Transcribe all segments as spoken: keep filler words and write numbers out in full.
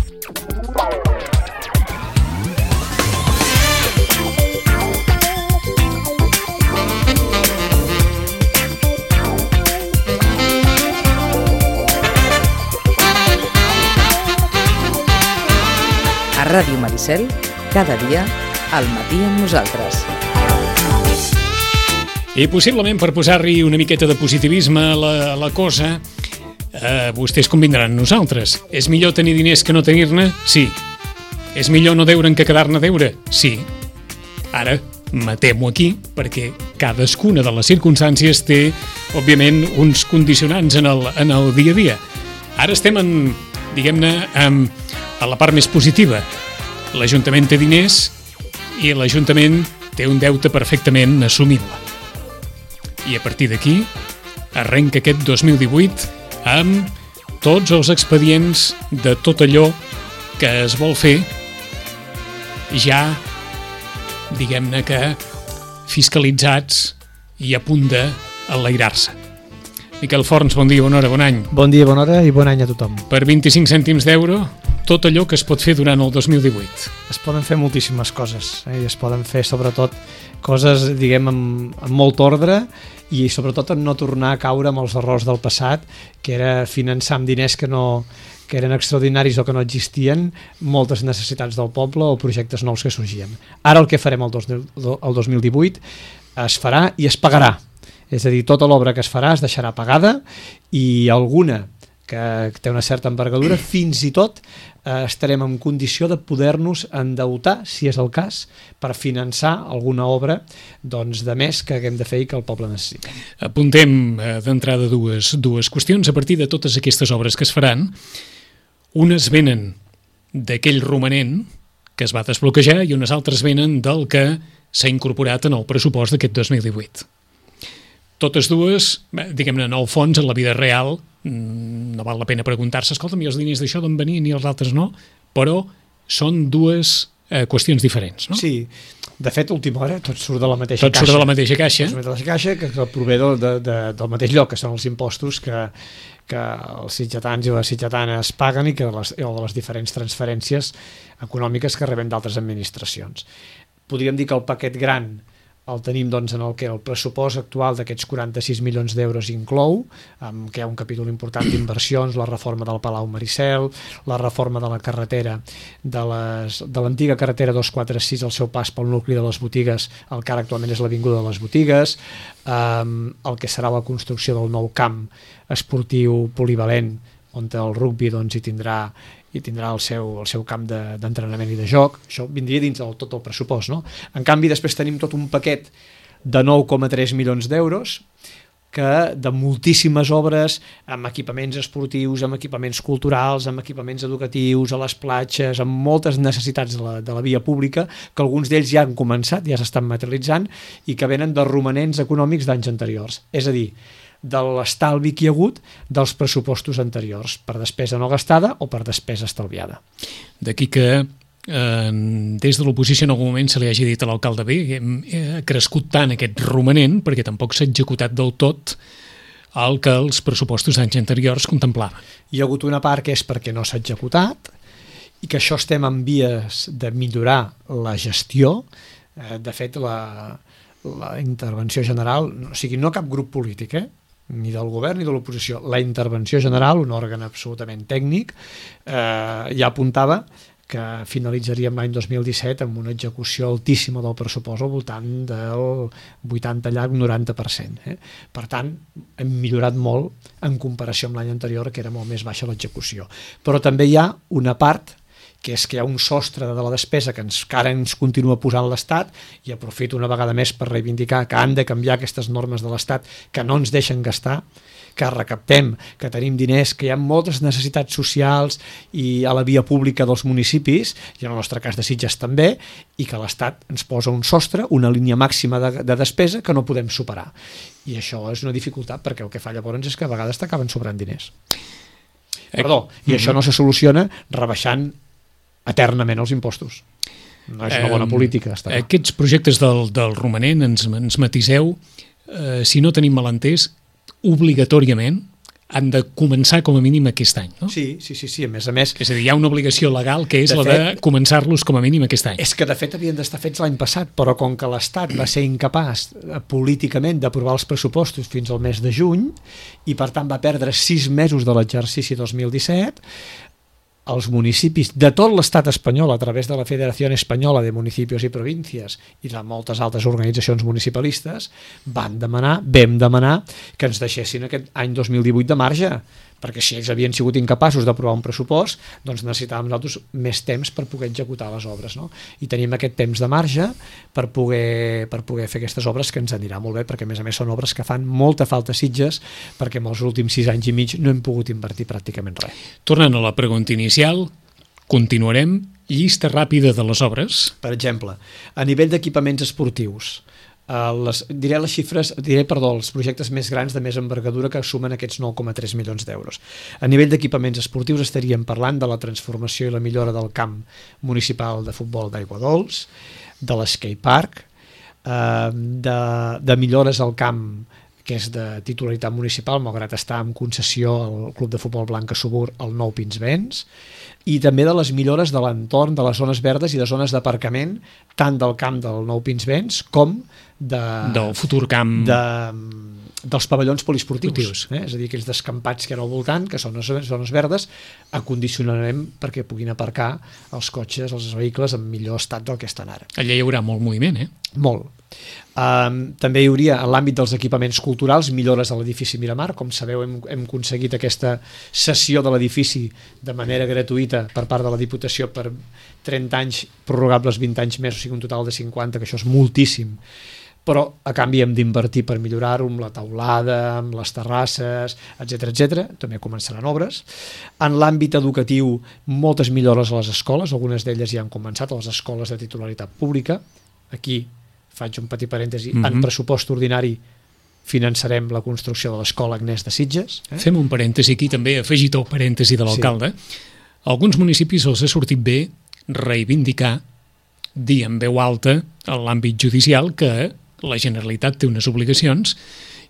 A Ràdio Maricel, cada dia, al matí amb nosaltres. I possiblement per posar-hi una miqueta de positivisme a la, a la cosa, eh, vostès convindran amb nosaltres. És millor tenir diners que no tenir-ne? Sí. És millor no deure'n que quedar-ne a deure? Sí. Ara, matem-ho aquí, perquè cadascuna de les circumstàncies té, òbviament, uns condicionants en el, en el dia a dia. Ara estem en, diguem-ne, en, a la part més positiva. L'Ajuntament té diners i l'Ajuntament té un deute perfectament assumible. I a partir d'aquí arrenca aquest dos mil divuit amb tots els expedients de tot allò que es vol fer ja, diguem-ne que, fiscalitzats i a punt d'enlairar-se. Miquel Forns, bon dia, bona hora, bon any. Bon dia, bona hora i bon any a tothom. Per vint-i-cinc cèntims d'euro, tot allò que es pot fer durant el dos mil divuit. Es poden fer moltíssimes coses, eh? I es poden fer sobretot coses, diguem, amb, amb molt ordre i sobretot en no tornar a caure amb els errors del passat, que era finançar amb diners que no que eren extraordinaris o que no existien moltes necessitats del poble o projectes nous que sorgien. Ara el que farem el, dos, el dos mil divuit es farà i es pagarà. És a dir, tota l'obra que es farà es deixarà pagada i alguna que té una certa envergadura, fins i tot eh, estarem en condició de poder-nos endeutar, si és el cas, per finançar alguna obra doncs, de més que haguem de fer i que el poble necessita. Apuntem eh, d'entrada dues, dues qüestions. A partir de totes aquestes obres que es faran, unes venen d'aquell romanent que es va desbloquejar i unes altres venen del que s'ha incorporat en el pressupost d'aquest dos mil divuit. Totes dues, diguem-ne, en el fons, en la vida real, no val la pena preguntar-se, escolta'm, i els diners d'això d'on venien i els altres no, però són dues eh, qüestions diferents, no? Sí, de fet, a última hora, tot surt de la mateixa tot caixa. Tot surt de la mateixa caixa. Tot surt de la mateixa caixa, que, que prové de, de, de, del mateix lloc, que són els impostos que, que els sitgetans i les sitgetanes paguen i que les, o de les diferents transferències econòmiques que reben d'altres administracions. Podríem dir que el paquet gran el tenim doncs, en el que el pressupost actual d'aquests quaranta-sis milions d'euros inclou, amb que hi ha un capítol important d'inversions, la reforma del Palau Maricel, la reforma de la carretera, de, les, de l'antiga carretera dos cents quaranta sis, el seu pas pel nucli de les botigues, el que ara actualment és l'Avinguda de les Botigues, eh, el que serà la construcció del nou camp esportiu polivalent, on el rugby doncs, hi tindrà i tindrà el seu, el seu camp de, d'entrenament i de joc. Això vindria dins del tot el pressupost, no? En canvi, després tenim tot un paquet de nou coma tres milions d'euros que de moltíssimes obres amb equipaments esportius, amb equipaments culturals, amb equipaments educatius, a les platges, amb moltes necessitats de la, de la via pública, que alguns d'ells ja han començat, ja s'estan materialitzant i que venen de romanents econòmics d'anys anteriors. És a dir, de l'estalvi que hi ha hagut dels pressupostos anteriors, per despesa no gastada o per despesa estalviada. D'aquí que eh, des de l'oposició en algun moment se li hagi dit a l'alcalde bé, ha crescut tant aquest romanent perquè tampoc s'ha executat del tot el que els pressupostos d'anys anteriors contemplaven. Hi ha hagut una part que és perquè no s'ha executat i que això estem en vies de millorar la gestió. Eh, de fet, la, la intervenció general, o sigui, no cap grup polític, eh? Ni del govern ni de l'oposició, la intervenció general, un òrgan absolutament tècnic, eh, ja apuntava que finalitzaríem l'any dos mil disset amb una execució altíssima del pressupost al voltant del vuitanta llarg noranta per cent. Eh? Per tant, hem millorat molt en comparació amb l'any anterior, que era molt més baixa l'execució. Però també hi ha una part que és que hi ha un sostre de la despesa que, ens, que ara ens continua posant l'Estat, i aprofito una vegada més per reivindicar que han de canviar aquestes normes de l'Estat que no ens deixen gastar, que recaptem, que tenim diners, que hi ha moltes necessitats socials i a la via pública dels municipis, i en el nostre cas de Sitges també, i que l'Estat ens posa un sostre, una línia màxima de, de despesa que no podem superar. I això és una dificultat, perquè el que fa llavors és que a vegades t'acaben sobrant diners. Perdó, i això no se soluciona rebaixant eternament els impostos. No és una bona política. Està eh, aquests projectes del, del romanent, ens, ens matiseu, eh, si no tenim malentès, obligatòriament han de començar com a mínim aquest any, no? Sí, sí, sí, sí, a més a més... És a dir, hi ha una obligació legal que és De la fet- de començar-los com a mínim aquest any. És que de fet havien d'estar fets l'any passat, però com que l'Estat va ser incapaç eh, políticament d'aprovar els pressupostos fins al mes de juny i per tant va perdre sis mesos de l'exercici dos mil disset, els municipis de tot l'estat espanyol a través de la Federació Espanyola de Municipios i Províncies i de moltes altres organitzacions municipalistes van demanar, vam demanar que ens deixessin aquest any dos mil divuit de marge, perquè si ells havien sigut incapaços d'aprovar un pressupost, doncs necessitàvem nosaltres més temps per poder executar les obres, no? I tenim aquest temps de marge per poder, per poder fer aquestes obres, que ens anirà molt bé, perquè a més a més són obres que fan molta falta a Sitges, perquè en els últims sis anys i mig no hem pogut invertir pràcticament res. Tornant a la pregunta inicial, continuarem. Llista ràpida de les obres. Per exemple, a nivell d'equipaments esportius, Uh, les, diré les xifres, diré, perdó, els projectes més grans de més envergadura que sumen aquests nou coma tres milions d'euros. A nivell d'equipaments esportius estaríem parlant de la transformació i la millora del camp municipal de futbol d'Aigua Dols, de l'skatepark, uh, de, de millores al camp que és de titularitat municipal, malgrat estar en concessió al Club de Futbol Blanca Subur, el Nou Pinsbens, i també de les millores de l'entorn, de les zones verdes i de zones d'aparcament, tant del camp del Nou Pinsbens com de, del futur camp de, dels pavellons poliesportius, Esportius. eh? És a dir, aquells descampats que hi ha al voltant, que són les zones verdes, acondicionarem perquè puguin aparcar els cotxes, els vehicles en millor estat del que estan ara. Allà hi haurà molt moviment, eh? Molt. Um, també hi hauria, en l'àmbit dels equipaments culturals, millores a l'edifici Miramar. Com sabeu, hem, hem aconseguit aquesta cessió de l'edifici de manera gratuïta per part de la Diputació per trenta anys, prorrogables vint anys més, o sigui un total de cinquanta, que això és moltíssim, però a canvi hem d'invertir per millorar-ho amb la teulada, amb les terrasses, etcètera, etcètera. També començaran obres. En l'àmbit educatiu, moltes millores a les escoles, algunes d'elles ja han començat, a les escoles de titularitat pública. Aquí faig un petit parèntesi, mm-hmm. en pressupost ordinari finançarem la construcció de l'escola Agnès de Sitges. Eh? Fem un parèntesi aquí també, afegit el parèntesi de l'alcalde. Sí. A alguns municipis els ha sortit bé reivindicar, dir en veu alta en l'àmbit judicial que la Generalitat té unes obligacions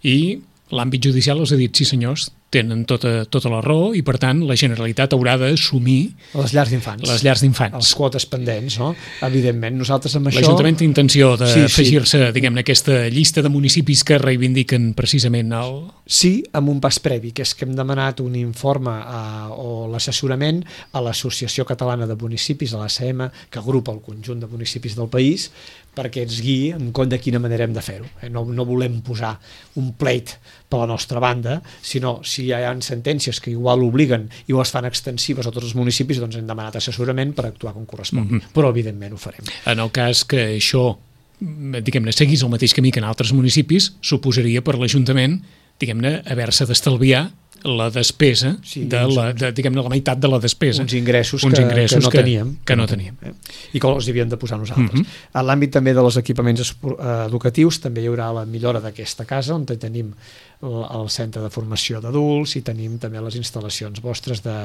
i l'àmbit judicial els ha dit, sí senyors, tenen tota, tota la raó i per tant la Generalitat haurà d'assumir les llars d'infants. Les llars d'infants. Les quotes pendents, no? Evidentment, nosaltres amb això... L'Ajuntament té intenció d'afegir-se, sí, sí. diguem-ne, aquesta llista de municipis que reivindiquen precisament el... Sí, amb un pas previ, que és que hem demanat un informe a, o l'assessorament a l'Associació Catalana de Municipis, a l'A C M, que agrupa el conjunt de municipis del país, perquè ens guiï en compte de quina manera hem de fer-ho. No, no volem posar un pleit per la nostra banda, sinó si hi ha sentències que igual obliguen i ho es fan extensives a tots els municipis, doncs hem demanat assessorament per actuar com correspon. Mm-hmm. Però evidentment ho farem. En el cas que això, diguem-ne, seguís el mateix camí que en altres municipis, suposaria per l'Ajuntament, diguem-ne, haver-se d'estalviar la despesa, sí, de la, de, diguem-ne, la meitat de la despesa. Uns ingressos, uns que, ingressos que no que, teníem. Que no teníem. Eh? I que els havíem de posar nosaltres. Mm-hmm. En l'àmbit també de els equipaments educatius també hi haurà la millora d'aquesta casa, on tenim el centre de formació d'adults i tenim també les instal·lacions vostres de,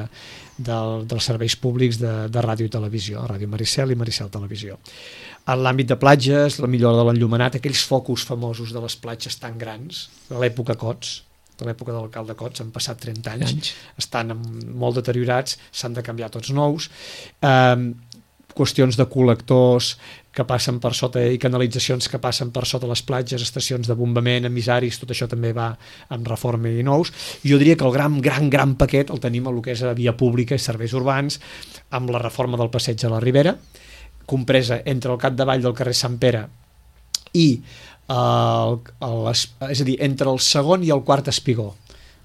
de, dels serveis públics de, de ràdio i televisió, Ràdio Maricel i Maricel Televisió. En l'àmbit de platges, la millora de l'enllumenat, aquells focus famosos de les platges tan grans, de l'època Cots, de l'època de l'alcalde Cots, han passat trenta anys, anys. Estan molt deteriorats, s'han de canviar tots nous. Eh, qüestions de col·lectors que passen per sota i canalitzacions que passen per sota les platges, estacions de bombament, emissaris, tot això també va amb reforma i nous. Jo diria que el gran, gran, gran paquet el tenim a lo que és a via pública i serveis urbans, amb la reforma del passeig a la Ribera, compresa entre el capdavall del carrer Sant Pere i el, el, és a dir, entre el segon i el quart espigó,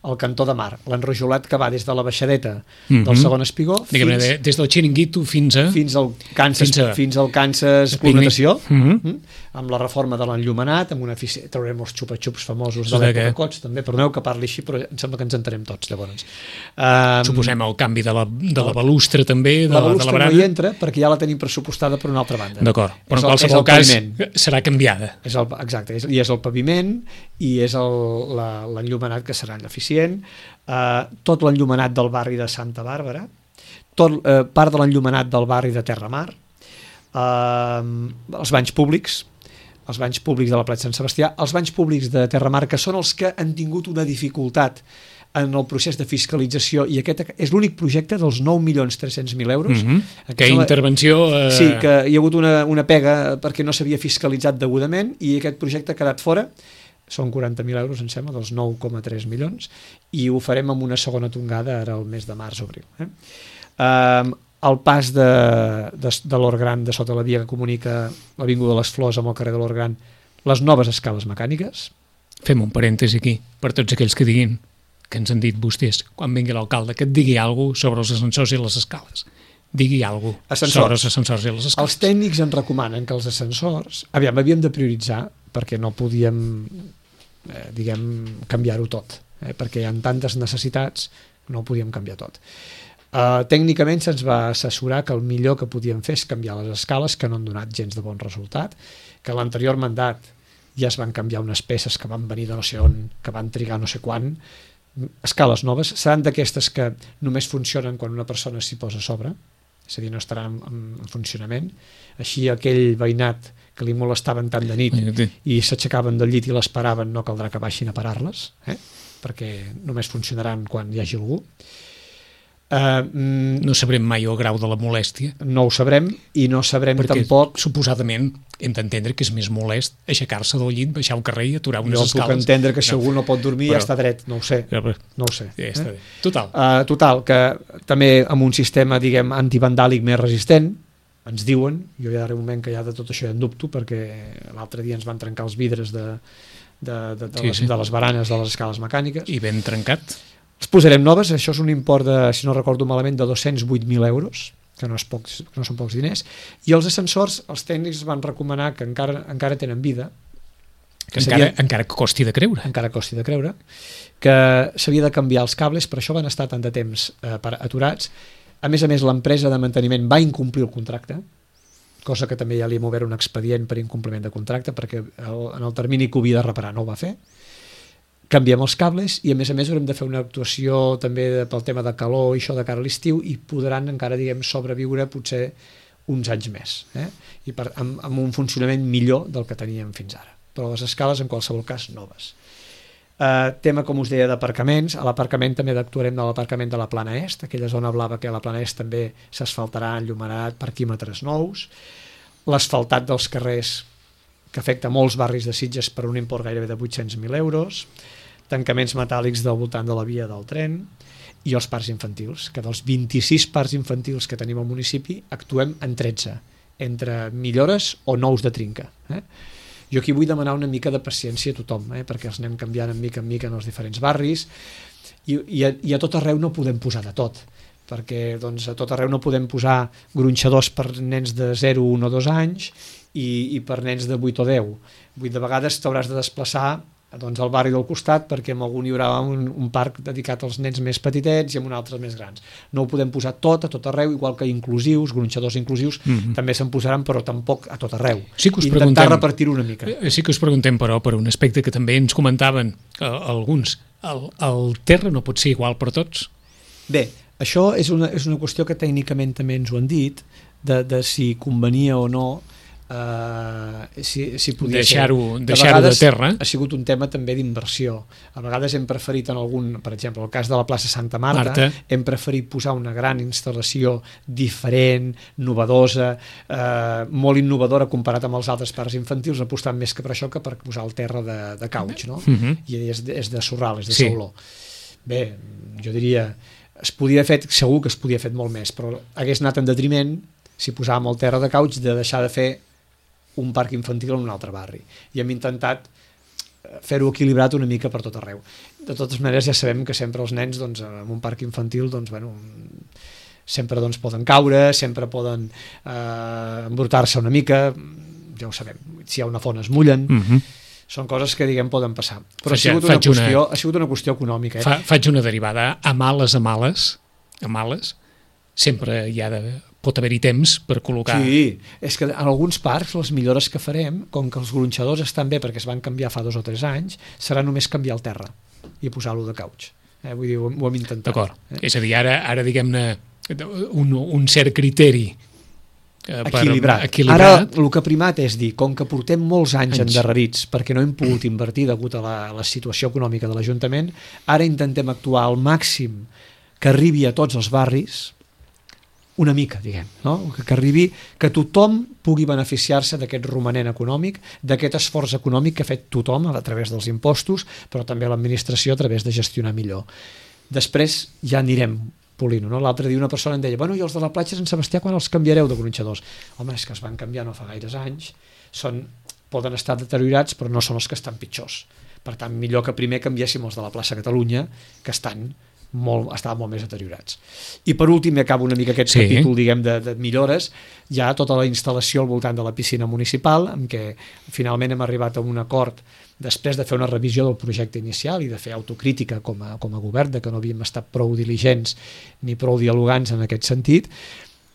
el cantó de mar, l'enrojolat que va des de la baixadeta mm-hmm. del segon espigó fins, de, des del Xiringuito fins a fins al Kansas, fins, a, fins al Kansas Climatació, mm-hmm. amb la reforma de l'enllumenat, amb una efici... traurem els xupa-xups famosos de l'època Cots, també, perdoneu que parli així, però em sembla que ens entenem tots, llavors. Um, Suposem el canvi de la, de la balustra també, de la la, balustra de la barana. No hi entra perquè ja la tenim pressupostada per una altra banda. D'acord, però és en qualsevol el, cas paviment. Serà canviada. És el, exacte, és, i és el paviment i és l'enllumenat que serà eficient. Uh, tot l'enllumenat del barri de Santa Bàrbara, tot, uh, part de l'enllumenat del barri de Terramar, uh, els banys públics, els banys públics de la platja Sant Sebastià, els banys públics de Terramar, que són els que han tingut una dificultat en el procés de fiscalització, i aquest és l'únic projecte dels nou milions tres-cents mil euros. Mm-hmm. Que intervenció... Eh... Sí, que hi ha hagut una, una pega perquè no s'havia fiscalitzat degudament i aquest projecte ha quedat fora. Són quaranta mil euros, em sembla, dels nou coma tres milions, i ho farem amb una segona tongada ara el mes de març o abril. Eh? Um, el pas de, de, de l'Hort Gran, de sota la via que comunica l'Avinguda de les Flors amb el carrer de l'Hort Gran, les noves escales mecàniques. Fem un parèntesi aquí, per tots aquells que diguin, que ens han dit vostès, quan vingui l'alcalde, que et digui alguna cosa sobre els ascensors i les escales. Digui alguna cosa sobre els ascensors i les escales. Els tècnics ens recomanen que els ascensors, aviam, havíem de prioritzar, perquè no podíem, eh, diguem, canviar-ho tot, eh, perquè hi ha tantes necessitats, no ho podíem canviar tot. Uh, tècnicament se'ns va assessorar que el millor que podíem fer és canviar les escales, que no han donat gens de bon resultat, que a l'anterior mandat ja es van canviar unes peces que van venir de no sé on, que van trigar no sé quan. Escales noves seran d'aquestes que només funcionen quan una persona s'hi posa a sobre, és a dir, no estaran en, en funcionament. Així aquell veïnat que li molestaven tant de nit i s'aixecaven del llit i les paraven, no caldrà que baixin a parar-les, eh? Perquè només funcionaran quan hi hagi algú. Uh, mm, no sabrem mai el grau de la molèstia. No ho sabrem, i no sabrem perquè, tampoc... suposadament, hem d'entendre que és més molest aixecar-se del llit, baixar al carrer i aturar unes jo escales. Jo puc entendre que si no. algú no pot dormir però, ja està dret, no ho sé. Però, no ho sé. Ja està eh? Total. Uh, total, que també amb un sistema, diguem, antivandàlic més resistent, ens diuen, jo ja darrere un moment que ja de tot això ja en dubto, perquè l'altre dia ens van trencar els vidres de, de, de, de, sí, les, sí. de les baranes de les escales mecàniques. I ben trencat. Les posarem noves, això és un import de, si no recordo malament, de dos-cents vuit mil euros, que no, és pocs, que no són pocs diners, i els ascensors, els tècnics van recomanar que encara, encara tenen vida, que encara, seria, encara que costi de creure. Encara costi de creure, que s'havia de canviar els cables, per això van estar tant de temps eh, per, aturats. A més a més, l'empresa de manteniment va incomplir el contracte, cosa que també ja li hem obert un expedient per incompliment de contracte, perquè el, en el termini que ho havia de reparar no ho va fer. Canviem els cables i a més a més haurem de fer una actuació també de, pel tema de calor i això de cara a l'estiu, i podran encara, diguem, sobreviure potser uns anys més, eh? I per, amb, amb un funcionament millor del que teníem fins ara, però les escales en qualsevol cas noves. Uh, tema, com us deia, d'aparcaments. A l'aparcament també actuarem de l'aparcament de la Plana Est, aquella zona blava que a la Plana Est també s'asfaltarà, enllumenarà, parquímetres nous, l'asfaltat dels carrers que afecta molts barris de Sitges per un import gairebé de vuit-cents mil euros, tancaments metàl·lics del voltant de la via del tren i els parcs infantils, que dels vint-i-sis parcs infantils que tenim al municipi actuem en tretze, entre millores o nous de trinca. Eh? Jo aquí vull demanar una mica de paciència a tothom, eh? perquè els anem canviant en mica en mica en els diferents barris, i, i, a, i a tot arreu no podem posar de tot, perquè doncs, a tot arreu no podem posar gronxadors per nens de zero, un o dos anys i, i per nens de vuit o deu. Vull de vegades t'hauràs de desplaçar doncs, al barri del costat, perquè en algun hi haurà un, un parc dedicat als nens més petitets i en un altre més grans. No ho podem posar tot a tot arreu, igual que inclusius, gronxadors inclusius, mm-hmm. també se'n posaran, però tampoc a tot arreu. Sí que us intentar repartir-ho una mica. Sí que us preguntem, però, per un aspecte que també ens comentaven eh, alguns. El, el terra no pot ser igual per tots? Bé, això és una, és una qüestió que tècnicament també ens ho han dit, de, de si convenia o no Uh, si, si podia deixar-ho deixar de terra. Ha sigut un tema també d'inversió. A vegades hem preferit en algun, per exemple, el cas de la plaça Santa Marta, Marta. hem preferit posar una gran instal·lació diferent, novedosa, uh, molt innovadora comparat amb els altres parcs infantils, apostant més que per això que per posar el terra de, de cauig, no? Uh-huh. I és de, és de sorral, és de sí. sauló. Bé, jo diria, es podia haver fet, segur que es podia haver fet molt més, però hagués anat en detriment, si posàvem el terra de cauig, de deixar de fer un parc infantil en un altre barri. I hem intentat fer-ho equilibrat una mica per tot arreu. De totes maneres, ja sabem que sempre els nens, doncs, en un parc infantil, doncs, bueno, sempre doncs, poden caure, sempre poden eh, embrutar-se una mica, ja ho sabem. Si hi ha una font es mullen, mm-hmm. són coses que, diguem, poden passar. Però faig, ha, sigut una qüestió, una... ha sigut una qüestió econòmica. Eh? Fa, faig una derivada. A males, a males, a males, sempre hi ha de... pot haver-hi temps per col·locar... Sí, és que en alguns parcs les millores que farem, com que els gronxadors estan bé perquè es van canviar fa dos o tres anys, serà només canviar el terra i posar-lo de cauig. Eh? Vull dir, ho, ho hem intentat. D'acord. Eh? És a dir, ara, ara diguem-ne, un, un cert criteri eh, equilibrat. equilibrat. Ara el que ha primat és dir, com que portem molts anys, anys. endarrerits perquè no hem pogut invertir degut a la, a la situació econòmica de l'Ajuntament, ara intentem actuar al màxim que arribi a tots els barris, una mica, diguem, no? que, que arribi, que tothom pugui beneficiar-se d'aquest romanent econòmic, d'aquest esforç econòmic que ha fet tothom a través dels impostos, però també l'administració a través de gestionar millor. Després ja anirem polint, no? L'altre dia una persona em deia, bueno, i els de la platja Sant Sebastià quan els canviareu de gronxadors? Home, és que es van canviar no fa gaires anys, són, poden estar deteriorats però no són els que estan pitjors. Per tant, millor que primer canviéssim els de la plaça Catalunya, que estan molt, estaven molt més deteriorats. I per últim, i acabo una mica aquest sí. capítol, diguem, de, de millores, hi ha tota la instal·lació al voltant de la piscina municipal, en què finalment hem arribat a un acord després de fer una revisió del projecte inicial i de fer autocrítica com a, com a govern, de que no havíem estat prou diligents ni prou dialogants en aquest sentit.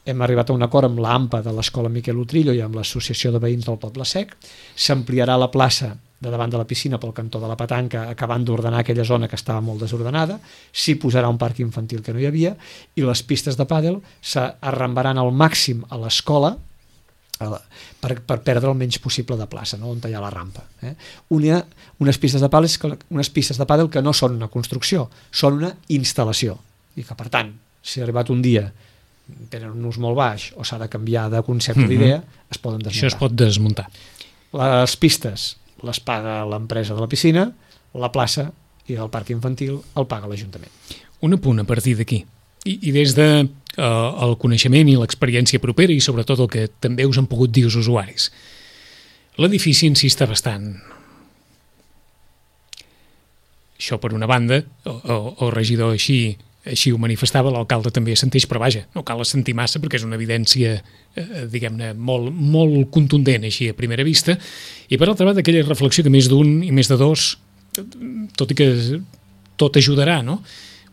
Hem arribat a un acord amb l'AMPA de l'Escola Miquel Utrillo i amb l'Associació de Veïns del Poble Sec. S'ampliarà la plaça de davant de la piscina pel cantó de la petanca, acabant d'ordenar aquella zona que estava molt desordenada. S'hi posarà un parc infantil que no hi havia i les pistes de pàdel s'arrambaran al màxim a l'escola per, per perdre el menys possible de plaça, no? On hi ha la rampa. Eh? Una, unes pistes de pàdel, unes pistes de pàdel que no són una construcció, són una instal·lació i que, per tant, si ha arribat un dia tenen un ús molt baix o s'ha de canviar de concepte, mm-hmm. d'idea, es poden desmuntar. Això es pot desmuntar. Les pistes les paga l'empresa de la piscina, la plaça i el parc infantil el paga l'Ajuntament. Un apunt a partir d'aquí. I, i des de eh, el coneixement i l'experiència propera i sobretot el que també us han pogut dir els usuaris. L'edifici en si està bastant. Això per una banda, el, el regidor així així ho manifestava, l'alcalde també assenteix, però vaja, no cal assentir massa perquè és una evidència, eh, diguem-ne, molt, molt contundent així a primera vista, i per altra banda aquella reflexió que més d'un i més de dos, tot i que tot ajudarà, no?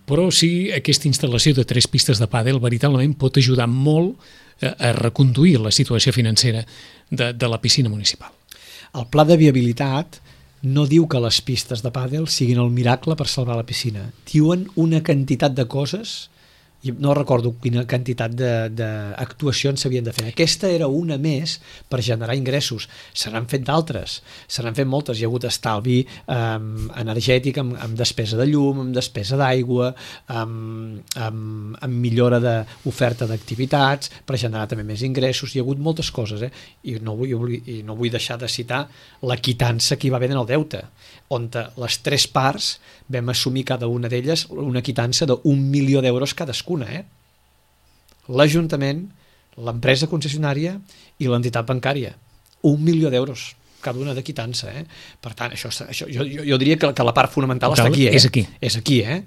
Però sí, aquesta instal·lació de tres pistes de pàdel veritablement pot ajudar molt a, a reconduir la situació financera de, de la piscina municipal. El pla de viabilitat no diu que les pistes de pàdel siguin el miracle per salvar la piscina. Diuen una quantitat de coses, i no recordo quina quantitat d'actuacions s'havien de fer. Aquesta era una més per generar ingressos. Se n'han fet d'altres, se n'han fet moltes. Hi ha hagut estalvi eh, energètic amb, amb despesa de llum, amb despesa d'aigua, amb, amb, amb millora d'oferta d'activitats, per generar també més ingressos. Hi ha hagut moltes coses, eh? I, no vull, i no vull deixar de citar la quitança que hi va haver en el deute, on les tres parts vam assumir cada una d'elles una quitança d'un milió d'euros cadascuna. Eh? L'Ajuntament, l'empresa concessionària i l'entitat bancària. Un milió d'euros cada una de quitança. Eh? Per tant, això, això, jo, jo diria que, que la part fonamental està aquí. Eh? És aquí. És aquí, eh?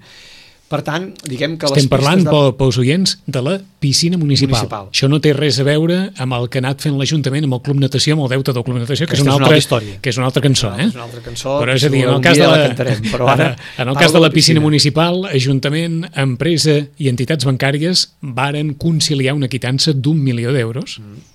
Per tant, diguem que estem les parlant, de... pels oients, de la piscina municipal. municipal. Això no té res a veure amb el que ha anat fent l'Ajuntament, amb el Club Natació, amb el deute del Club Natació, que, que és, una altra, història. Que és una altra cançó. Eh? És una altra cançó, però és a dir, en el cas de la, la cantarem, però ara en el cas de la piscina, piscina municipal, Ajuntament, empresa i entitats bancàries varen conciliar una quitança d'un milió d'euros. Mm.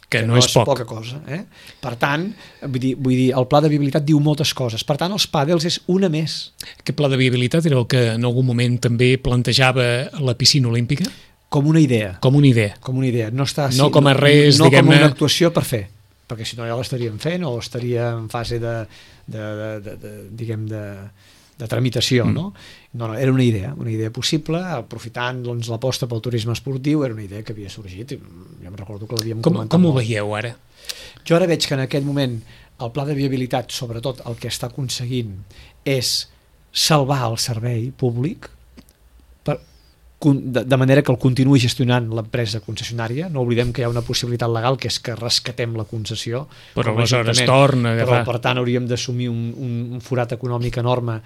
Que, que no, no és, és poc. poca cosa. Eh? Per tant, vull dir, vull dir, el pla de viabilitat diu moltes coses. Per tant, els pàdels és una més. Aquest pla de viabilitat era el que en algun moment també plantejava la piscina olímpica? Com una idea. Com una idea. Com una idea. No, està, no com a res, no, no diguem-ne... com una actuació per fer, perquè si no ja l'estaríem fent o estaria en fase de, de, de, de, de diguem, de, de tramitació, mm. no? No, no, era una idea, una idea possible, aprofitant doncs, l'aposta pel turisme esportiu, era una idea que havia sorgit, i jo em recordo que l'havíem comentat. Com ho molt. veieu ara? Jo ara veig que en aquest moment el pla de viabilitat, sobretot el que està aconseguint, és salvar el servei públic, per, de, de manera que el continuï gestionant l'empresa concessionària. No oblidem que hi ha una possibilitat legal, que és que rescatem la concessió. Però aleshores torna a agafar. Però, per tant, hauríem d'assumir un, un, un forat econòmic enorme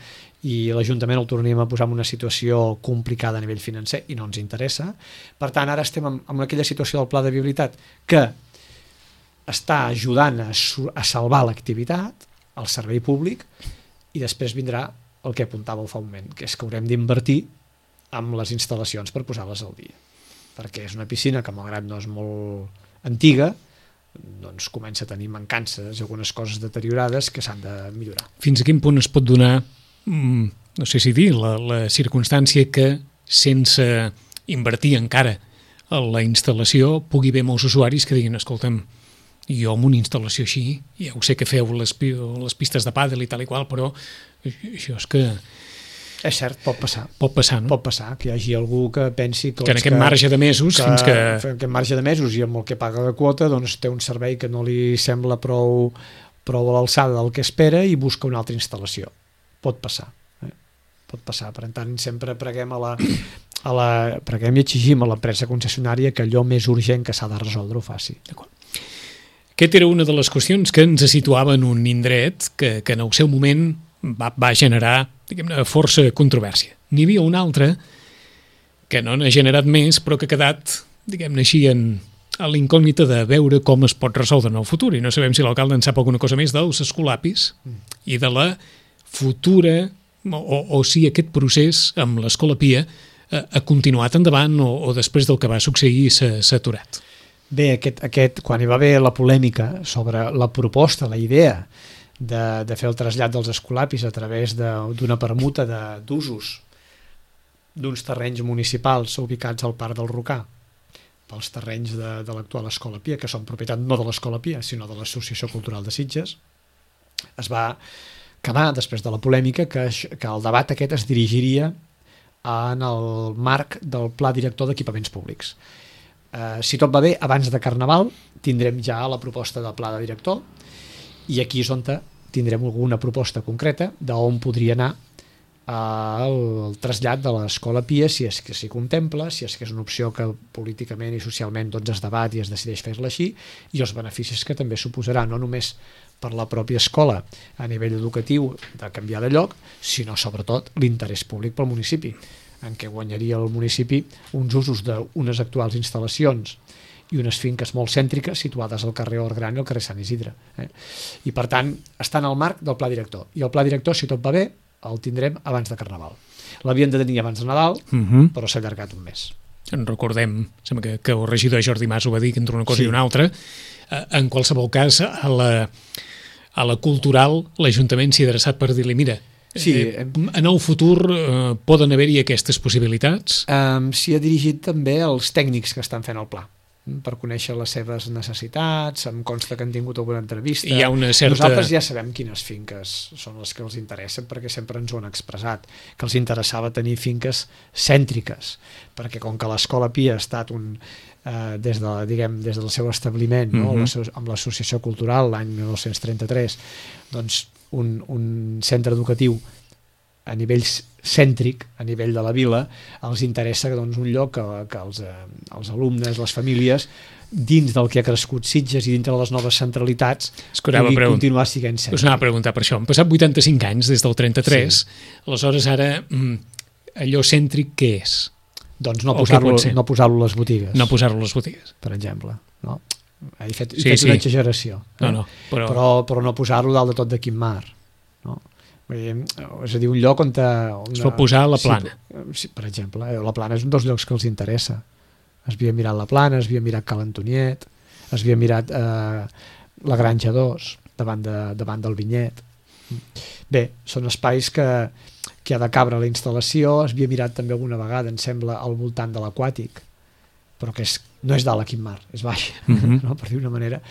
i l'Ajuntament el tornaríem a posar en una situació complicada a nivell financer i no ens interessa. Per tant, ara estem en, en aquella situació del pla de viabilitat que està ajudant a, a salvar l'activitat, el servei públic, i després vindrà el que apuntàveu fa un moment, que és que haurem d'invertir amb les instal·lacions per posar-les al dia. Perquè és una piscina que, malgrat no és molt antiga, doncs comença a tenir mancances, algunes coses deteriorades que s'han de millorar. Fins a quin punt es pot donar, no sé si dir, la, la circumstància que sense invertir encara la instal·lació pugui haver molts usuaris que diguin, escolta'm, jo amb una instal·lació així, ja ho sé que feu les, les pistes de pàdel i tal i qual, però això és que... És cert, pot passar. Pot passar, no? Pot passar, que hi hagi algú que pensi que, que en aquest que, marge de mesos que, fins que... En aquest marge de mesos i amb el que paga de quota doncs té un servei que no li sembla prou, prou a l'alçada del que espera i busca una altra instal·lació. Pot passar. Eh? Pot passar. Per tant, sempre preguem a la... A la, preguem i exigim a l'empresa concessionària que allò més urgent que s'ha de resoldre ho faci. D'acord. Aquesta era una de les qüestions que ens situava en un indret que, que en el seu moment va, va generar, diguem-ne, força controvèrsia. N'hi havia una altra que no n'ha generat més, però que ha quedat, diguem-ne així, en, a l'incògnita de veure com es pot resoldre en el futur. I no sabem si l'alcalde en sap alguna cosa més dels escolapis mm. i de la futura, o, o si aquest procés amb l'Escola Pia ha continuat endavant o, o després del que va succeir s'ha aturat? Bé, aquest, aquest, quan hi va haver la polèmica sobre la proposta, la idea de, de fer el trasllat dels escolapis a través d'una permuta d'usos d'uns terrenys municipals ubicats al Parc del Rocà pels terrenys de, de l'actual Escola Pia, que són propietat no de l'Escola Pia, sinó de l'Associació Cultural de Sitges, es va quedar, després de la polèmica, que, que el debat aquest es dirigiria en el marc del Pla Director d'Equipaments Públics. Eh, si tot va bé, abans de Carnaval tindrem ja la proposta del Pla de Director i aquí és on tindrem alguna proposta concreta d'on podria anar el, el trasllat de l'Escola Pia, si és que s'hi contempla, si és que és una opció que políticament i socialment doncs, es debat i es decideix fer-la així, i els beneficis que també suposarà, no només per la pròpia escola a nivell educatiu de canviar de lloc, sinó sobretot l'interès públic pel municipi, en què guanyaria el municipi uns usos d'unes actuals instal·lacions i unes finques molt cèntriques situades al carrer Orgran i al carrer Sant Isidre. Eh? I per tant, està en el marc del pla director. I el pla director, si tot va bé, el tindrem abans de Carnaval. L'havien de tenir abans de Nadal, uh-huh. però s'ha allargat un mes. En recordem, sembla que, que el regidor Jordi Mas ho va dir, que entre una cosa sí. i una altra. En qualsevol cas, a la, a la cultural, l'Ajuntament s'hi ha adreçat per dir-li, mira, sí, eh, en el futur eh, poden haver-hi aquestes possibilitats? Um, s'hi ha dirigit també als tècnics que estan fent el pla, per conèixer les seves necessitats, em consta que han tingut alguna entrevista. Hi ha una certa... Nosaltres ja sabem quines finques són les que els interessen, perquè sempre ens ho han expressat, que els interessava tenir finques cèntriques, perquè com que l'Escola Pia ha estat un, eh, des, de, diguem, des del seu establiment, no? uh-huh. amb l'Associació Cultural l'any dinou trenta-tres, doncs un, un centre educatiu a nivell cèntric, a nivell de la vila, els interessa doncs, un lloc que, que els, eh, els alumnes, les famílies, dins del que ha crescut Sitges i dintre de les noves centralitats, pugui continuar sent cèntric. Us anava a preguntar per això. Han passat vuitanta-cinc anys des del trenta-tres, sí. Aleshores ara allò cèntric què és? Doncs no posar-lo no posar-lo a les botigues. No posar-lo a les botigues. Per exemple. No? He fet, he sí, fet sí. una exageració. Eh? No, no, però... Però, però no posar-lo dalt de tot de quin mar. No? És a dir, un lloc on... on es pot posar a la Plana. Sí, per exemple, la Plana és un dels llocs que els interessa. Es havia mirat la Plana, es havia mirat Cal Antoniet, es havia mirat eh, la Granja dos, davant, de, davant del Vinyet. Bé, són espais que, que ha de cabre la instal·lació, es havia mirat també alguna vegada, em sembla, al voltant de l'Aquàtic, però que és, no és dalt a quin mar, és baix, uh-huh. no? Per dir una manera.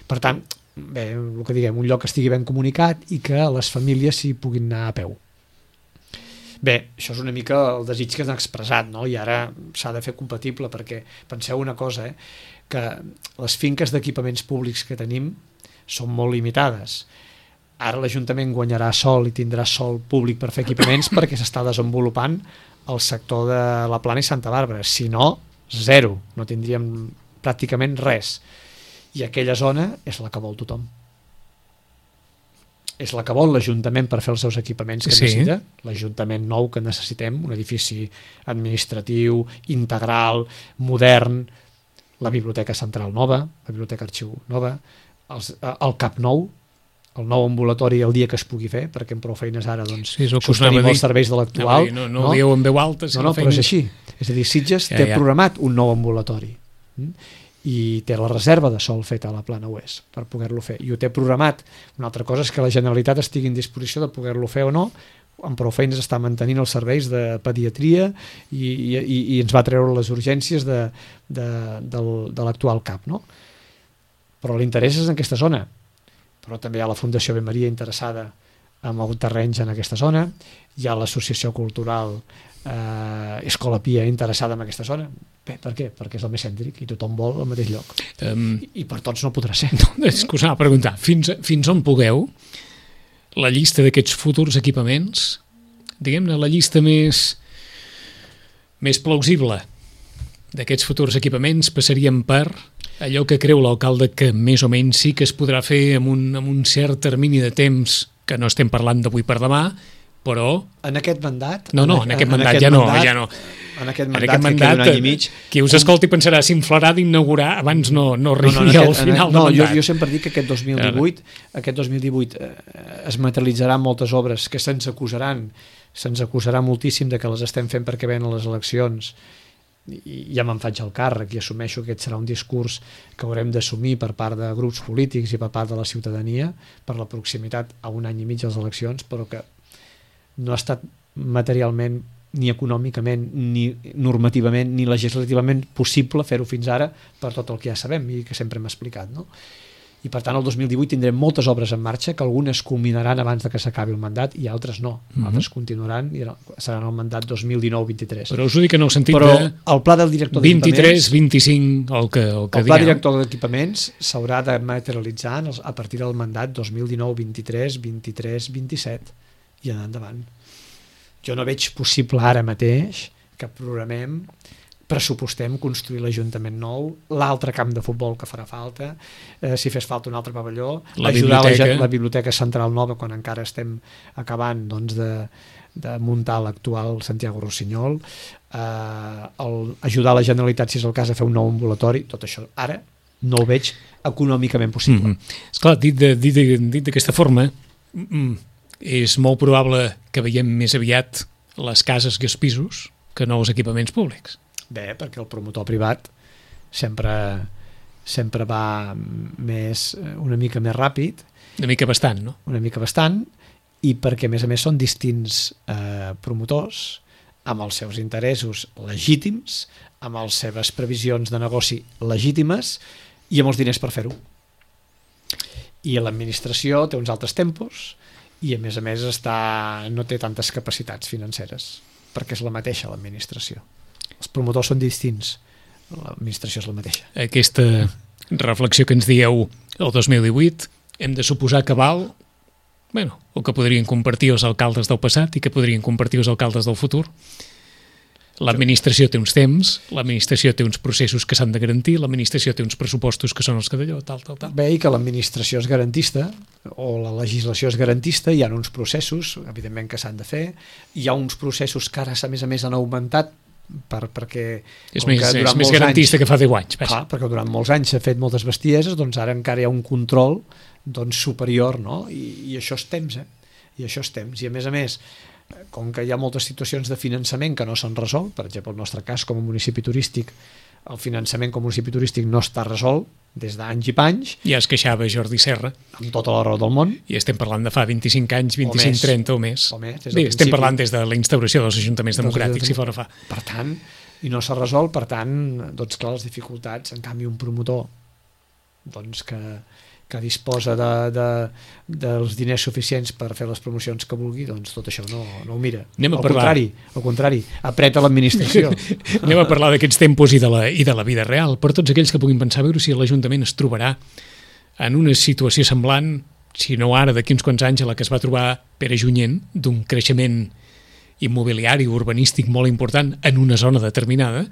Per tant, bé, el que diguem, un lloc que estigui ben comunicat i que les famílies s'hi puguin anar a peu. Bé, això és una mica el desig que han expressat, no? I ara s'ha de fer compatible, perquè penseu una cosa, eh? Que les finques d'equipaments públics que tenim són molt limitades. Ara l'Ajuntament guanyarà sol i tindrà sol públic per fer equipaments perquè s'està desenvolupant el sector de la Plana i Santa Bàrbara. Si no, zero, no tindríem pràcticament res. I aquella zona és la que vol tothom. És la que vol l'Ajuntament per fer els seus equipaments que sí. necessita, l'Ajuntament nou que necessitem, un edifici administratiu, integral, modern, la Biblioteca Central nova, la Biblioteca Arxiu nova, els, el CAP nou, el nou ambulatori el dia que es pugui fer, perquè amb prou feines ara doncs, sí, sostenim els serveis de l'actual. No, no, no ho dieu en veu alta. Si no, no, però és així. És a dir, Sitges ja, té ja. programat un nou ambulatori i té la reserva de sol feta a la Plana oest per poder-lo fer. I ho té programat. Una altra cosa és que la Generalitat estigui en disposició de poder-lo fer o no, amb prou feines està mantenint els serveis de pediatria i, i, i ens va treure les urgències de, de, del, de l'actual C A P, no? Però l'interès és en aquesta zona, però també hi ha la Fundació Ave Maria interessada en els terrenys en aquesta zona, hi ha l'associació cultural eh, Escola Pia interessada en aquesta zona. Bé, per què? Perquè és el més cèntric i tothom vol al mateix lloc. Um, I, I per tots no podrà ser. No, és que us anava a preguntar, fins, fins on pugueu la llista d'aquests futurs equipaments, diguem-ne la llista més, més plausible d'aquests futurs equipaments passaríem per allò que creu l'alcalde que més o menys sí que es podrà fer amb un, amb un cert termini de temps, que no estem parlant d'avui per demà, però... En aquest mandat... No, no, en, en aquest mandat, en aquest ja, mandat no, ja no. En aquest mandat, en aquest mandat que queda un any i mig... Qui us escolti pensarà, s'inflarà d'inaugurar, abans no, no arribi no, no, al final no, del mandat. Jo, jo sempre dic que aquest dos mil divuit, aquest dos mil divuit eh, es materialitzaran moltes obres que se'ns acusaran, se'ns acusarà moltíssim de que les estem fent perquè venen les eleccions, i ja me'n faig el càrrec i assumeixo que aquest serà un discurs que haurem d'assumir per part de grups polítics i per part de la ciutadania per la proximitat a un any i mig de les eleccions, però que no ha estat materialment ni econòmicament, ni normativament, ni legislativament possible fer-ho fins ara per tot el que ja sabem i que sempre hem explicat, no? I per tant el dos mil divuit tindrem moltes obres en marxa que algunes culminaran abans de que s'acabi el mandat i altres no, mm-hmm. altres continuaran i seran el mandat dos mil dinou vint tres. Però us ho dic en el sentit Però de el pla del director vint-i-tres vint-i-cinc el que, el que el pla digueu. director d'equipaments s'haurà de materialitzar a partir del mandat dos mil dinou vint-i-tres vint-i-tres vint-i-set i anar endavant. Jo no veig possible ara mateix que programem, pressupostem construir l'Ajuntament nou, l'altre camp de futbol que farà falta, eh, si fes falta un altre pavelló, la ajudar biblioteca. La, la biblioteca central nova quan encara estem acabant doncs, de, de muntar l'actual Santiago Rossinyol, eh, el, ajudar la Generalitat si és el cas a fer un nou ambulatori, tot això ara no ho veig econòmicament possible. Mm-hmm. Esclar, dit de, dit de, dit d'aquesta forma, mm, és molt probable que veiem més aviat les cases i els pisos que nous equipaments públics. Bé, perquè el promotor privat sempre, sempre va més, una mica més ràpid. Una mica bastant, no? Una mica bastant, i perquè a més a més són distints eh, promotors amb els seus interessos legítims, amb les seves previsions de negoci legítimes i amb els diners per fer-ho. I l'administració té uns altres tempos i a més a més està, no té tantes capacitats financeres, perquè és la mateixa l'administració. Els promotors són distints, l'administració és la mateixa. Aquesta reflexió que ens dieu el dos mil divuit, hem de suposar que val, bueno, o que podrien compartir els alcaldes del passat i que podrien compartir els alcaldes del futur. L'administració té uns temps, l'administració té uns processos que s'han de garantir, l'administració té uns pressupostos que són els que d'allò, tal, tal, tal. Bé, i que l'administració és garantista, o la legislació és garantista, hi ha uns processos, evidentment, que s'han de fer, hi ha uns processos que ara, a més a més, han augmentat, per, perquè és més, és més garantista anys, que fa deu anys. Clar, perquè durant molts anys s'ha fet moltes bestieses, doncs ara encara hi ha un control doncs, superior, no? I, i això és temps, eh? I això és temps. I a més a més, com que hi ha moltes situacions de finançament que no s'han resolt, per exemple, el nostre cas com a municipi turístic, el finançament com a municipi turístic no està resolt des d'anys i panys. Ja es queixava Jordi Serra. Amb tota la raó del món. I estem parlant de fa vint-i-cinc anys, vint-i-cinc, trenta o més. O més Bé, estem parlant des de la instauració dels ajuntaments democràtics, si fora fa. Per tant, i no s'ha resolt, per tant, doncs clar, les dificultats, en canvi un promotor doncs que, que disposa de, de, dels diners suficients per fer les promocions que vulgui, doncs tot això no, no ho mira. Anem a al parlar. contrari, al contrari, apreta l'administració. Anem a parlar d'aquests tempos i de, la, i de la vida real, per tots aquells que puguin pensar a veure si l'Ajuntament es trobarà en una situació semblant, si no ara, d'aquí uns quants anys, a la que es va trobar Pere Junyent, d'un creixement immobiliari, urbanístic molt important en una zona determinada,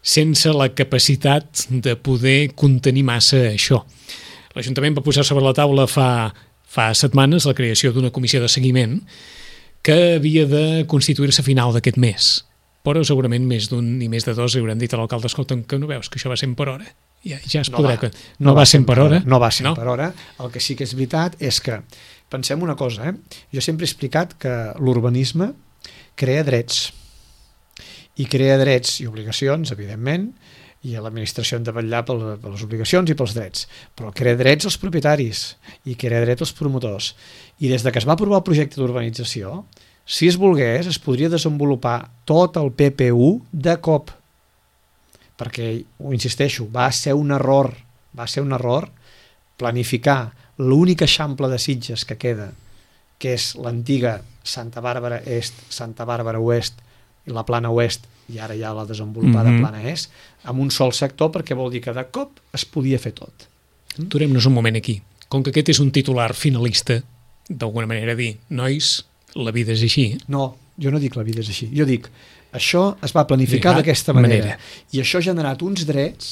sense la capacitat de poder contenir massa això. L'Ajuntament va posar sobre la taula fa, fa setmanes la creació d'una comissió de seguiment que havia de constituir-se a final d'aquest mes. Però segurament més d'un i més de dos hauran dit a l'alcalde, escolta'm, que no veus que això va sent per hora? Ja, ja es no podrà... Va, que... No, no va sent per hora? No va sent no? per hora. El que sí que és veritat és que, pensem una cosa, eh? Jo sempre he explicat que l'urbanisme crea drets. I crea drets i obligacions, evidentment, i l'administració han de vetllar per les obligacions i pels drets, però crea drets als propietaris i crea drets als promotors. I des de que es va aprovar el projecte d'urbanització, Si es volgués, es podria desenvolupar tot el P P U de cop, perquè, ho insisteixo, va ser un error, va ser un error planificar l'únic eixample de Sitges que queda, que és l'antiga Santa Bàrbara Est, Santa Bàrbara Oest i la Plana Oest, i ara ja la desenvolupada mm-hmm. Plana Est, amb un sol sector, perquè vol dir que de cop es podia fer tot. Aturem-nos un moment aquí. Com que aquest és un titular finalista, d'alguna manera dir, nois, la vida és així. No, jo no dic la vida és així. Jo dic, això es va planificar d'aquesta manera, manera i això ha generat uns drets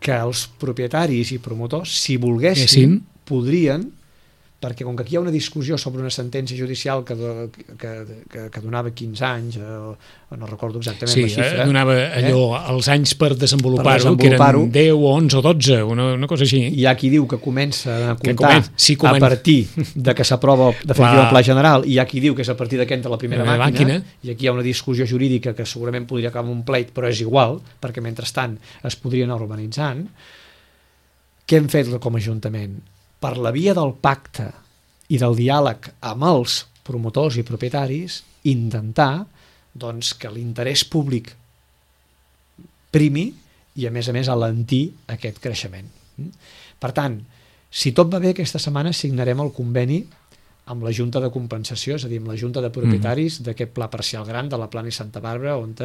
que els propietaris i promotors, si volguessin, Essin. podrien, perquè com que aquí hi ha una discussió sobre una sentència judicial que, que, que, que donava quinze anys, eh, no recordo exactament sí, la xifra. Sí, donava allò eh? els anys per desenvolupar-ho, per desenvolupar que eren deu, onze o dotze, una, una cosa així. Hi ha qui diu que comença a comptar comen sí, comen a partir de que s'aprova definitiva el pla general, i hi ha qui diu que és a partir d'aquí entra la primera la màquina, màquina, i aquí hi ha una discussió jurídica que segurament podria acabar amb un pleit, però és igual, perquè mentrestant es podria anar urbanitzant. Què hem fet com a Ajuntament? Per la via del pacte i del diàleg amb els promotors i propietaris, intentar doncs, que l'interès públic primi i, a més a més, alentir aquest creixement. Per tant, si tot va bé, aquesta setmana signarem el conveni amb la Junta de Compensació, és a dir, amb la Junta de Propietaris mm. d'aquest pla parcial gran de la Plana i Santa Bàrbara, on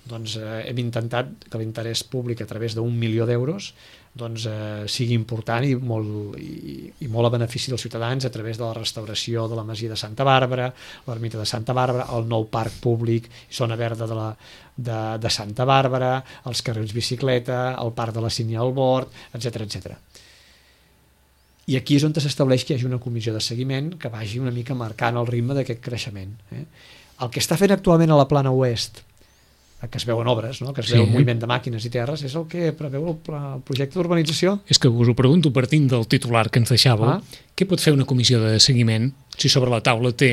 doncs, eh, hem intentat que l'interès públic a través d'un milió d'euros doncs, eh, sigui important i molt, i, i molt a benefici dels ciutadans a través de la restauració de la masia de Santa Bàrbara, l'ermita de Santa Bàrbara, el nou parc públic, zona verda de, la, de, de Santa Bàrbara, els carrils bicicleta, el parc de la Sínia al Bord, etcètera, etcètera. I aquí és on s'estableix que hi hagi una comissió de seguiment que vagi una mica marcant el ritme d'aquest creixement. Eh? El que està fent actualment a la Plana Oest, que es veuen obres, no? Que es sí. veu el moviment de màquines i terres, és el que preveu el, el projecte d'urbanització. És que us ho pregunto partint del titular que ens deixàveu, ah. què pot fer una comissió de seguiment si sobre la taula té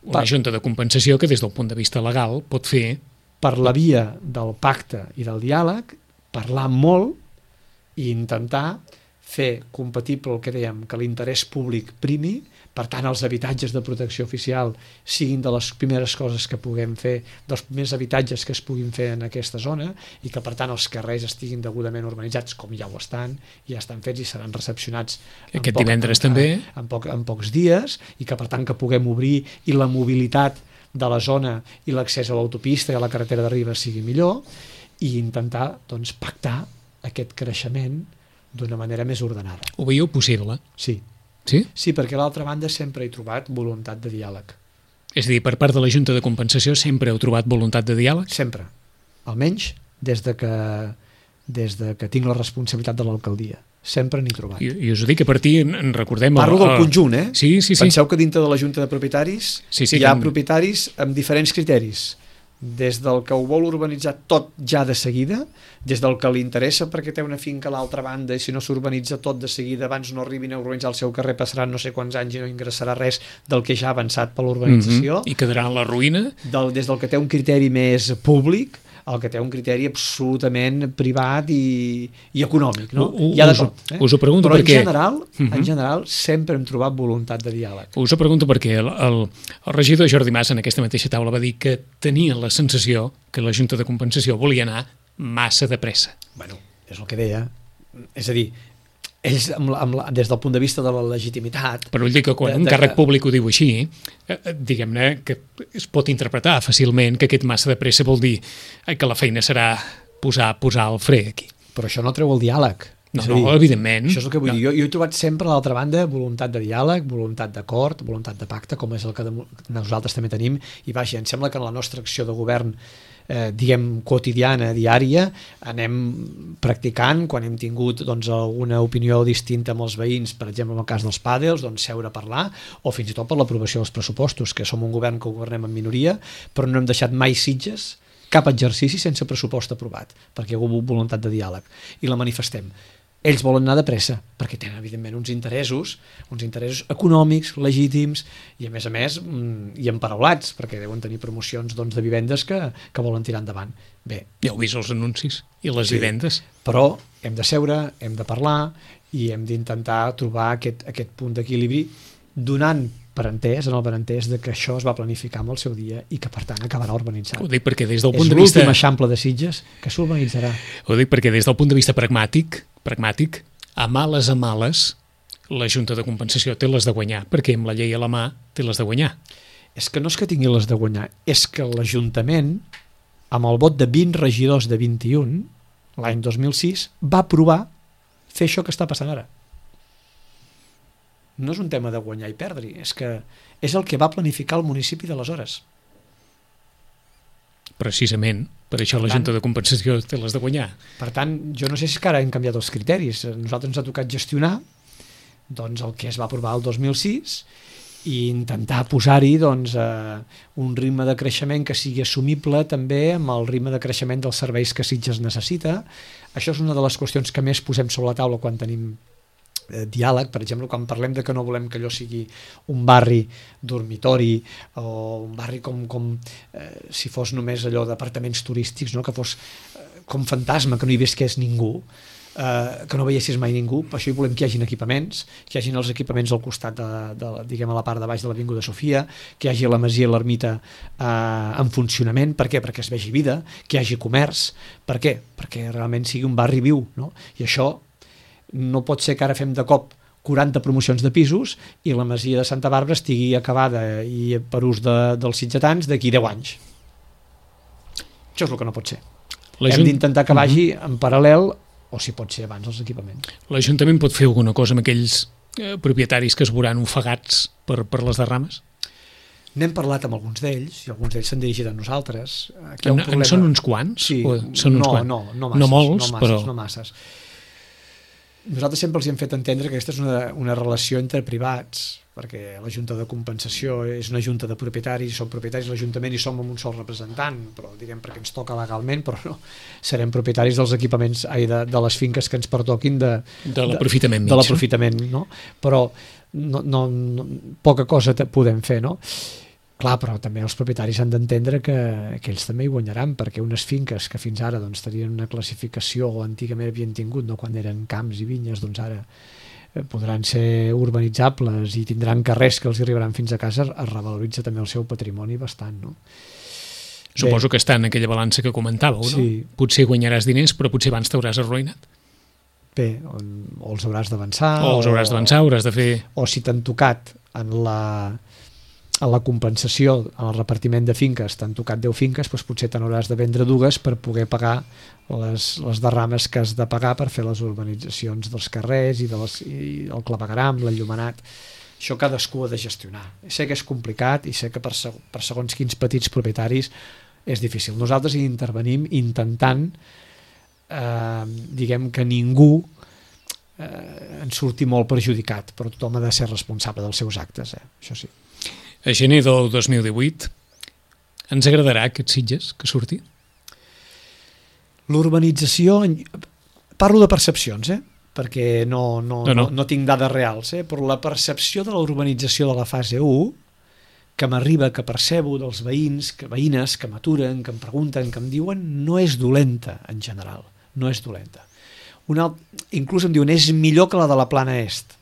una per... junta de compensació que des del punt de vista legal pot fer... Per la via del pacte i del diàleg, parlar molt i intentar fer compatible el que dèiem, que l'interès públic primi, per tant els habitatges de protecció oficial siguin de les primeres coses que puguem fer, dels primers habitatges que es puguin fer en aquesta zona, i que per tant els carrers estiguin degudament urbanitzats, com ja ho estan, ja estan fets i seran recepcionats aquest poc, divendres en, també en, en, poc, en pocs dies, i que per tant que puguem obrir i la mobilitat de la zona i l'accés a l'autopista i a la carretera de Ribes sigui millor, i intentar doncs, pactar aquest creixement d'una manera més ordenada. Ho veieu possible? Sí. Sí? Sí, perquè a l'altra banda sempre he trobat voluntat de diàleg. És a dir, per part de la Junta de Compensació sempre heu trobat voluntat de diàleg? Sempre. Almenys des de que, des de que tinc la responsabilitat de l'alcaldia. Sempre n'he trobat. I, I us ho dic a partir, en recordem... Parlo el, del conjunt, eh? Sí, sí, sí. Penseu que dintre de la Junta de Propietaris sí, sí, hi ha que... propietaris amb diferents criteris. Des del que ho vol urbanitzar tot ja de seguida, des del que li interessa perquè té una finca a l'altra banda i si no s'urbanitza tot de seguida, abans no arribin a urbanitzar el seu carrer, passaran no sé quants anys i no ingressarà res del que ja ha avançat per l'urbanització. Mm-hmm. I quedarà en la ruïna. Del, des del que té un criteri més públic al que té un criteri absolutament privat i, i econòmic, no? U, Hi ha de us, tot, eh? Us ho pregunto Però perquè... en general, uh-huh. en general sempre hem trobat voluntat de diàleg. Us ho pregunto perquè el, el, el regidor Jordi Mas en aquesta mateixa taula va dir que tenia la sensació que la Junta de Compensació volia anar massa de pressa. Bueno, és el que deia. És a dir, ells, amb la, amb la, des del punt de vista de la legitimitat... Però vull dir que quan de, un càrrec de... públic ho diu així, eh, diguem-ne que es pot interpretar fàcilment que aquest massa de pressa vol dir eh, que la feina serà posar, posar el fre aquí. Però això no treu el diàleg. No, no, dir, evidentment. Això és el que vull no. dir. Jo, jo he trobat sempre a l'altra banda voluntat de diàleg, voluntat d'acord, voluntat de pacte, com és el que de, nosaltres també tenim, i vaja, em sembla que en la nostra acció de govern eh, diguem, quotidiana, diària, anem practicant, quan hem tingut doncs, alguna opinió distinta amb els veïns, per exemple, en el cas dels pàdels, doncs, seure a parlar, o fins i tot per l'aprovació dels pressupostos, que som un govern que governem en minoria, però no hem deixat mai Sitges cap exercici sense pressupost aprovat, perquè hi ha hagut voluntat de diàleg, i la manifestem. Ells volen anar de pressa, perquè tenen, evidentment, uns interessos, uns interessos econòmics, legítims, i a més a més, i emparaulats, perquè deuen tenir promocions doncs, de vivendes que, que volen tirar endavant. Bé. Ja heu vist els anuncis i les sí, vivendes. Però hem de seure, hem de parlar, i hem d'intentar trobar aquest, aquest punt d'equilibri, donant per entès, en el benentès de que això es va planificar amb el seu dia i que per tant acabarà urbanitzat. Ho dic perquè des del punt És de vista... l'últim eixample de Sitges que s'urbanitzarà. Ho dic perquè des del punt de vista pragmàtic, pragmàtic, a males a males, la Junta de Compensació té les de guanyar, perquè amb la llei a la mà té les de guanyar. És que no és que tingui les de guanyar, és que l'Ajuntament, amb el vot de vint regidors de vint-i-un, l'any dos mil sis, va aprovar fer això que està passant ara. No és un tema de guanyar i perdre, és que és el que va planificar el municipi d'aleshores. Precisament, per això la Junta de Compensació té les de guanyar. Per tant, jo no sé si ara hem canviat els criteris. A nosaltres ens ha tocat gestionar doncs, el que es va aprovar el dos mil sis i intentar posar-hi doncs, eh, un ritme de creixement que sigui assumible també amb el ritme de creixement dels serveis que Sitges necessita. Això és una de les qüestions que més posem sobre la taula quan tenim eh, diàleg. Per exemple, quan parlem de que no volem que allò sigui un barri dormitori o un barri com, com eh, si fos només allò d'apartaments turístics, no? Que fos eh, com fantasma, que no hi visqués ningú, Uh, que no veiessis mai ningú. Per això hi volem que hi hagin equipaments, que hi hagin els equipaments al costat de, de, diguem, a la part de baix de l'Avinguda Sofia, que hi hagi la masia i l'ermita uh, en funcionament. Per què? Perquè es vegi vida, que hi hagi comerç. Per què? Perquè realment sigui un barri viu, no? I això no pot ser que ara fem de cop quaranta promocions de pisos i la masia de Santa Bàrbara estigui acabada i per ús de, dels sitgetans d'aquí deu anys. Això és el que no pot ser. La Hem d'intentar que vagi uh-huh. en paral·lel, o si pot ser abans els equipaments. L'Ajuntament pot fer alguna cosa amb aquells eh, propietaris que es veuran ofegats per, per les derrames? N'hem parlat amb alguns d'ells i alguns d'ells s'han dirigit a nosaltres. Aquí hi ha un en, problema... en són uns quants? Sí, o són uns no, quants? no, no masses. No molts, no masses, però... No masses. Nosaltres sempre els hem fet entendre que aquesta és una, una relació entre privats, perquè la Junta de Compensació és una junta de propietaris, som propietaris de l'Ajuntament i som amb un sol representant, però diguem perquè ens toca legalment, però no, serem propietaris dels equipaments, ai, de, de les finques que ens pertoquin de, de l'aprofitament mig. De l'aprofitament, no? Però no, no, no, poca cosa podem fer, no? Clar, però també els propietaris han d'entendre que, que ells també hi guanyaran, perquè unes finques que fins ara doncs, tenien una classificació o antigament havien tingut, no, quan eren camps i vinyes, doncs ara podran ser urbanitzables i tindran carrers que els arribaran fins a casa, es revaloritza també el seu patrimoni bastant, no? Suposo Bé, que està en aquella balança que comentàveu, no? Sí. Potser guanyaràs diners, però potser abans t'hauràs arruïnat. Bé, o, o els hauràs d'avançar, o els hauràs d'avançar, hauràs de fer... O si t'han tocat en la, en la compensació, en el repartiment de finques, t'han tocat deu finques, doncs potser te n'hauràs de vendre dues per poder pagar les, les derrames que has de pagar per fer les urbanitzacions dels carrers i, de les, i el clavegueram, l'enllumenat. Això cadascú ha de gestionar. Sé que és complicat i sé que per, seg per segons quins petits propietaris és difícil. Nosaltres hi intervenim intentant eh, diguem que ningú eh, en surti molt perjudicat, però tothom ha de ser responsable dels seus actes, eh? Això sí. A gener del dos mil divuit ens agradarà aquest Sitges que surti? L'urbanització, parlo de percepcions, eh? Perquè no, no, no, no. no, no tinc dades reals, eh? Però la percepció de la urbanització de la fase u, que m'arriba, que percebo dels veïns, que veïnes que m'aturen, que em pregunten, que em diuen, no és dolenta en general, no és dolenta. Una, inclús em diuen, és millor que la de la Plana Est.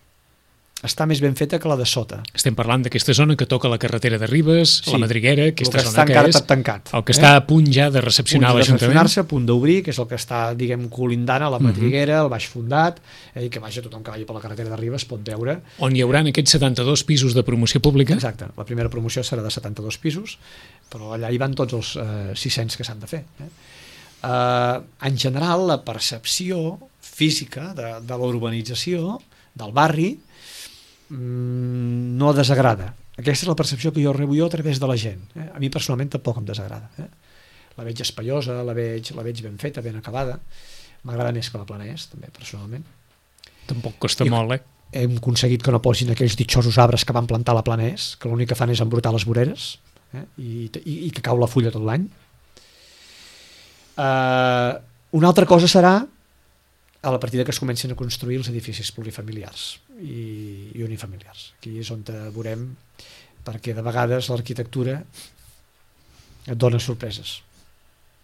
Està més ben feta que la de sota. Estem parlant d'aquesta zona que toca la carretera de Ribes, sí, la Madriguera, aquesta que zona que és tancat, el que eh? està a punt ja de recepcionar l'Ajuntament. A punt d'obrir, que és el que està, diguem, colindant a la Madriguera, uh -huh. el Baix Fundat, eh, i que vaja, tothom que vagi per la carretera de Ribes pot veure. On hi haurà aquests setanta-dos pisos de promoció pública? Exacte, la primera promoció serà de setanta-dos pisos, però allà hi van tots els eh, sis-cents que s'han de fer. Eh? Eh, en general, la percepció física de, de la urbanització del barri no desagrada. Aquesta és la percepció que jo rebo jo a través de la gent. Eh? A mi personalment tampoc em desagrada. Eh? La veig espaiosa, la veig, la veig ben feta, ben acabada. M'agrada més que la Plana Est, també, personalment. Tampoc costa I molt, eh? Hem aconseguit que no posin aquells ditxosos arbres que van plantar a la Plana Est, que l'únic que fan és embrutar les voreres, eh? I, i, i que cau la fulla tot l'any. Uh, una altra cosa serà a la partida que es comencin a construir els edificis plurifamiliars i, i unifamiliars. Aquí és on veurem, perquè de vegades l'arquitectura et dona sorpreses.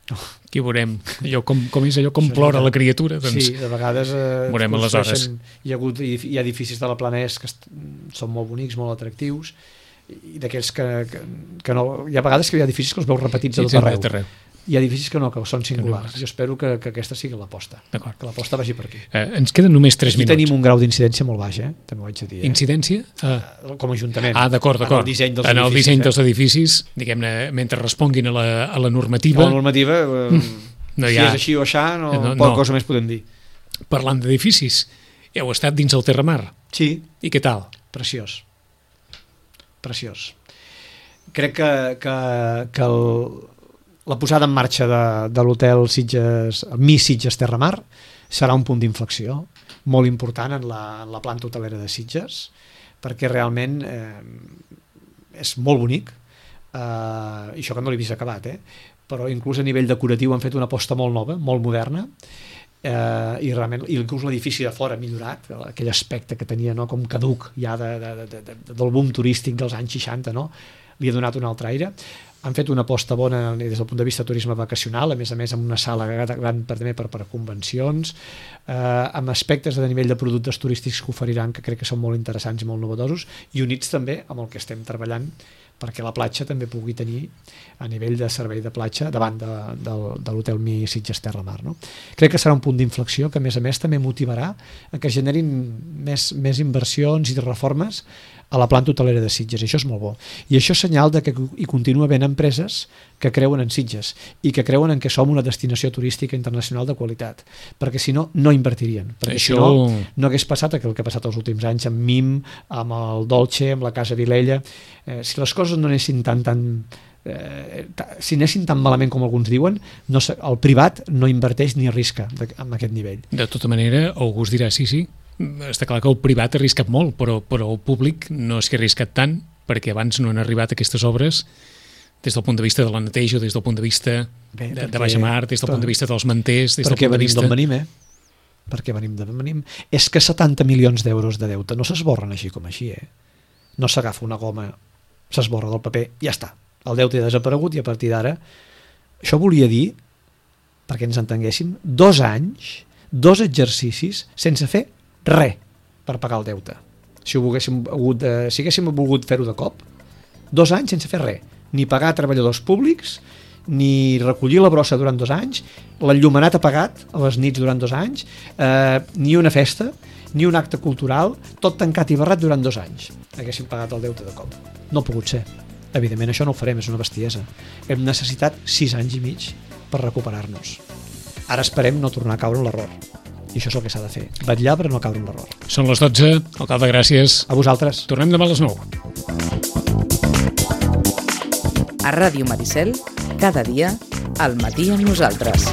Aquí veurem allò com, com és allò com plora la criatura. Doncs sí, de vegades eh, veurem aleshores. Hi ha, hagut, hi ha edificis de la Plana Est que són molt bonics, molt atractius, i d'aquells que, que, que no... Hi ha vegades que hi ha edificis que els veus repetits a tot Sí, sí, arreu. tot arreu. Hi ha edificis que no, que són singulars. Que no. Jo espero que, que aquesta sigui l'aposta, D'acord. que l'aposta vagi per aquí. Eh, ens queden només tres Aquí minuts. tenim un grau d'incidència molt baix, eh? També ho haig de dir. Eh? Incidència? Ah, Com a ajuntament. ah d'acord, d'acord. En el disseny dels en el edificis. disseny eh? dels edificis, diguem-ne, mentre responguin a la, a la normativa, La normativa, eh, no si hi ha... és així o aixà, no, No, no, no. poca cosa més podem dir. Parlant d'edificis, heu estat dins el Terramar. Sí, I què tal? preciós. Preciós. Crec que, que, que el, la posada en marxa de, de l'hotel Sitges, el Mi Sitges Terramar, serà un punt d'inflexió molt important en la, en la planta hotelera de Sitges, perquè realment eh, és molt bonic, eh, i això que no l'he vist acabat, eh? Però inclús a nivell decoratiu han fet una aposta molt nova, molt moderna, eh, i realment i inclús l'edifici de fora ha millorat, aquell aspecte que tenia, no, com caduc ja de, de, de, de, del boom turístic dels anys seixanta, no? Li ha donat un altre aire. Han fet una aposta bona des del punt de vista de turisme vacacional, a més a més amb una sala gran per, també per, per convencions, eh, amb aspectes de nivell de productes turístics que oferiran que crec que són molt interessants i molt novedosos, i units també amb el que estem treballant perquè la platja també pugui tenir a nivell de servei de platja davant de, de, de l'hotel Mi Sitges Terramar, no? Crec que serà un punt d'inflexió que a més a més també motivarà a que generin més, més inversions i reformes a la planta hotelera de Sitges, i això és molt bo. I això és senyal de que hi continua havent empreses que creuen en Sitges i que creuen en que som una destinació turística internacional de qualitat, perquè si no, no invertirien. Perquè Això... si no, no hagués passat el que ha passat els últims anys amb Mim, amb el Dolce, amb la Casa Vilella. Eh, si les coses no anessin tan... tan eh, si anessin tan malament com alguns diuen, no, el privat no inverteix ni arrisca de, amb aquest nivell. De tota manera, algú us dirà, sí, sí, està clar que el privat ha arriscat molt, però, però el públic no és que ha arriscat tant, perquè abans no han arribat aquestes obres des del punt de vista de la neteja, des del punt de vista Bé, de, perquè, de baixa mar, des del punt de vista dels manters, des del perquè punt de venim vista... d'on venim, eh? Perquè venim d'on venim. És que setanta milions d'euros de deute no s'esborren així com així, eh? No s'agafa una goma, s'esborra del paper, ja està. El deute ha desaparegut i a partir d'ara... Això volia dir, perquè ens entenguéssim, dos anys, dos exercicis sense fer res per pagar el deute. Si ho volguéssim hagut de, si haguéssim volgut fer-ho de cop, dos anys sense fer res, ni pagar treballadors públics, ni recollir la brossa durant dos anys, l'enllumenat apagat a les nits durant dos anys, eh, ni una festa, ni un acte cultural, tot tancat i barrat durant dos anys. Haguéssim pagat el deute de cop. No ha pogut ser. Evidentment això no ho farem, és una bestiesa. Hem necessitat sis anys i mig per recuperar-nos. Ara esperem no tornar a caure en l'error. I això és el que s'ha de fer. Vetllar per no caure en l'error. Són les dotze, alcalde, gràcies. A vosaltres. Tornem demà a les nou. A Ràdio Maricel, cada dia, al matí amb nosaltres.